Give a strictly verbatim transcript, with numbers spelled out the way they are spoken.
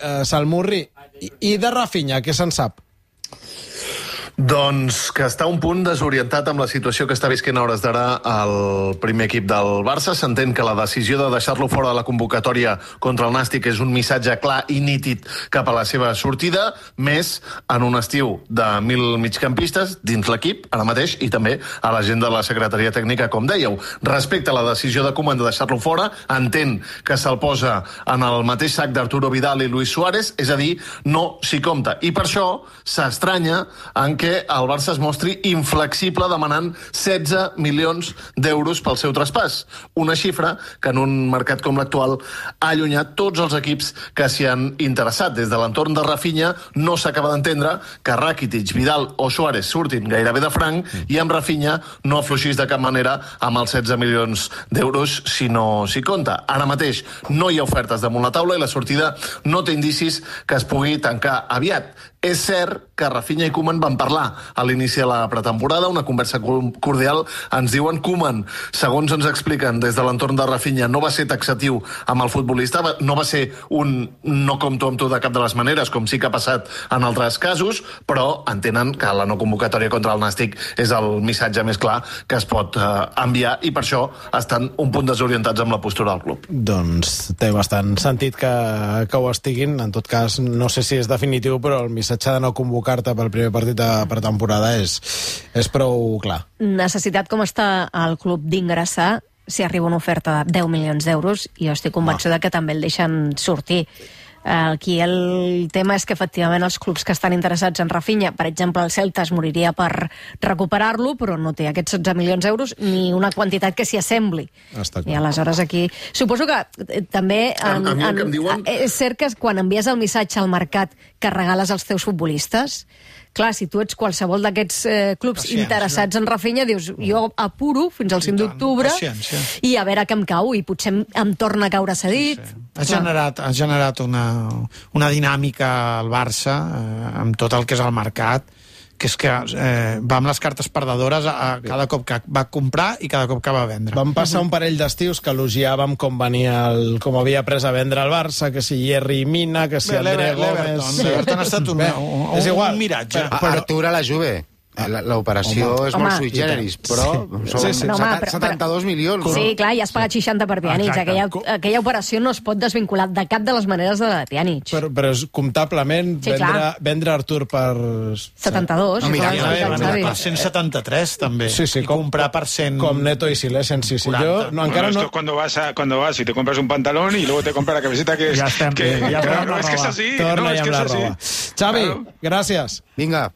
eh, Salmurri, i, i de Rafinha, què se'n sap? Doncs que està un punt desorientat amb la situació que està visquent a hores d'ara el primer equip del Barça. S'entén que la decisió de deixar-lo fora de la convocatòria contra el Nàstic és un missatge clar i nítid cap a la seva sortida, més en un estiu de mil migcampistes dins l'equip, ara mateix, i també a la gent de la secretaria tècnica, com dèieu. Respecte a la decisió de Koeman de deixar-lo fora, entén que se'l posa en el mateix sac d'Arturo Vidal i Luis Suárez, és a dir, no s'hi compta. I per això s'estranya en que el Barça es mostri inflexible demanant setze milions d'euros pel seu traspàs. Una xifra que en un mercat com l'actual ha allunyat tots els equips que s'hi han interessat. Des de l'entorn de Rafinha no s'acaba d'entendre que Rakitic, Vidal o Suárez surtin gairebé de franc i amb Rafinha no afluixís de cap manera amb els setze milions d'euros si no s'hi compta. Ara mateix no hi ha ofertes damunt la taula i la sortida no té indicis que es pugui tancar aviat. És cert que Rafinha i Koeman van parlar a l'inici de la pretemporada, una conversa cordial, ens diuen Koeman, segons ens expliquen des de l'entorn de Rafinha, no va ser taxatiu amb el futbolista, no va ser un no compto amb tu de cap de les maneres, com sí que ha passat en altres casos, però entenen que la no convocatòria contra el Nàstic és el missatge més clar que es pot eh, enviar i per això estan un punt desorientats amb la postura del club. Doncs té bastant sentit que, que ho estiguin, en tot cas no sé si és definitiu, però el missatge de no convocar-te pel primer partit de pretemporada és, és prou clar. Necessitat com està el club d'ingressar si arriba una oferta de deu milions d'euros i jo estic convençuda que també el deixen sortir. Aquí el tema és que efectivament els clubs que estan interessats en Rafinha, per exemple el Celta es moriria per recuperar-lo, però no té aquests setze milions d'euros ni una quantitat que s'hi assembli. I aleshores aquí... Suposo que eh, també en, a, a en, en, diuen... és cert que quan envies el missatge al mercat que regales als teus futbolistes, clar, si tu ets qualsevol d'aquests eh, clubs Paciència. interessats en Rafinha, dius, jo apuro fins al cinc d'octubre i a veure què em cau, i potser em, em torna a caure cedit. Sí. Ha generat, ha generat una, una dinàmica al Barça eh, amb tot el que és el mercat, que és que eh, va amb les cartes perdedores a, a cada cop que va comprar i cada cop que va vendre. Vam passar un parell d'estius que elogiàvem com venia el, com havia pres a vendre el Barça, que si Yerry Mina, que si André Gómez... L'Everton ha estat un, un, un, un miratge. Però... Artur a la Juve. L'operació és home, molt sui generis, però sí. són Sí, sí. No, home, però, setanta-dos milions. Sí, clar, i has pagat seixanta per Pjanic. Aquella, aquella operació no es pot desvincular de cap de les maneres de la de Pjanic. Però, però és comptablement sí, vendre, vendre Artur per... setanta-dos. No, mira, sí, ja, sí, ja, per cent setanta-tres també. Sí, sí, I com, comprar per cent... Com Neto y Silesen, sí, sí. Yo, no, encara bueno, esto no... es cuando vas, a, cuando vas y te compras un pantalón y luego te compras la camiseta que es... Ja estem, que, ja claro, torna no, es que es así. Torna no, es ja que amb la es así. roba. Xavi, Claro. gràcies. Vinga.